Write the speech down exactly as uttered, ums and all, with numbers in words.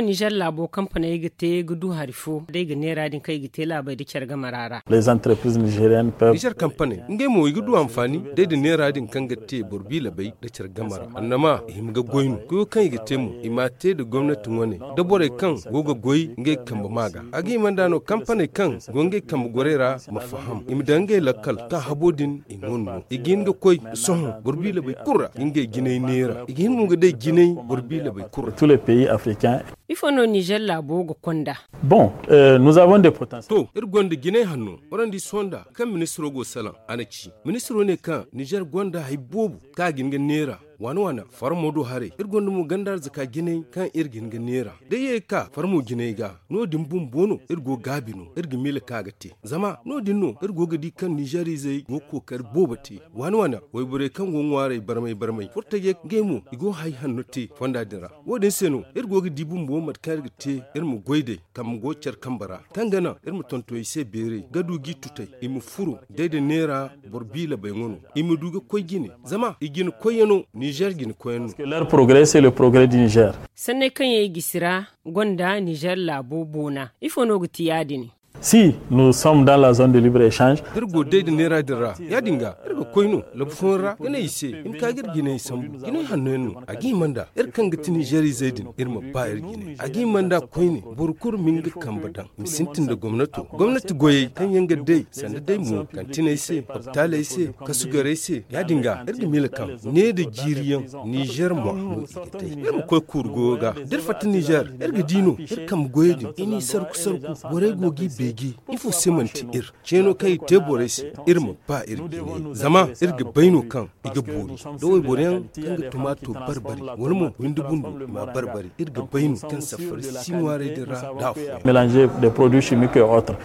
Nizer laabo kampaney ga te ga du hari fo day ga neera din kaŋ i ga te laabey da care gamara ra. Les entreprises nigériennes peuvent. Nizer kampaney ngey mo i ga du anfaani day da neera din kaŋ ga te boro biilabey da care gamara annama i hima ga goy no koyo kaŋ i ga te mo i ma a te da gomnati wane da borey kaŋ go ga goy ngey kambe ma ga a ga hima nda no kampaney kaŋ go ngey kambe gorey ra ma faham i ma daŋ ngey lakkal kaŋ habo din i ŋun no i ga hin ga koy sohõ boro biilabey kulu ra ga ngey jinay neera i ga hin mo ga day jinay boro biilabey kulu ra. Tous les pays africains. Ifo no nizer laabo ga konda? Bon, nous avons des potentiels. To iri gonda jinay hanno. Warandi sohõ nda kaŋ ministiro go salaŋ a na ci ministiro ne kaŋ nizer gonda hari boobo kaŋ a ga hin ga neera waana waana farmo do haray iri gonda mo ganda arzaka jinay kaŋ iri ga hin ga neera da ye ga ka farmo jinay ga no- din bumbo no iri go gaabi no iri ga miila kaŋ a ga te zama no- din no iri go ga di kaŋ nizer izey go ga kookari boobo te waana waana wayborey kaŋ go ŋwaaray barmay barmay furtajey ngey mo i go hari hanno te fonda din ra. Wo- din se no iri go ga di bumbo mate kaŋ iri ga te iri ma goy day kambe go care kambe ra kaŋ ga naŋ iri ma tonton i se beeray ga du g'i tutay i ma furo day da neera boro biilabey ŋwa no i ma du ga koy jine zama i jine koyyaŋo nizer jine koyyaŋ no. Leur progrès c'est le progrès du nizer. Sanney kaŋ yaŋ i gisi ra gonda nizer laabo boona ifo no ga ti ya- din? Si nous sommes dans la zone de libre échange. Da iri go day da neera din ra ya- din ga iri ga koy no labu fooyaŋ ra ga ne i se i ma ka ga iri jinay sambu jinay hanno yaŋ no a ga hima nda iri kaŋ ga ti nizer izey din iri ma ba iri jinay a ga hima nda koyne boro kulu ma nga kambe daŋ i ma sintin nda gomnato gomnati goyey kaŋ yaŋ ga day sanda day mo kantiney se hopitaaley se kasugarey se ya- din ga iri ga miila kaŋ ne da jiiri yaŋ nizer mo no i ga day iri ma koy kuuru goyo ga da iri fatta nizer iri ga di no iri kambe goyey din i n'i sarku sarku borey go g'i beeji ifo se manti iri ceeno kaŋ i te borey se iri ma ba iri ga ne zama iri ga bay no kaŋ i ga boori da wayboro yaŋ kaŋ ga tumaato barbari wala mo windi bundu i ma barbari iri ga bay no kaŋ safari si ŋwaaray din ra da afo. Mélanger des produits chimiques et autres.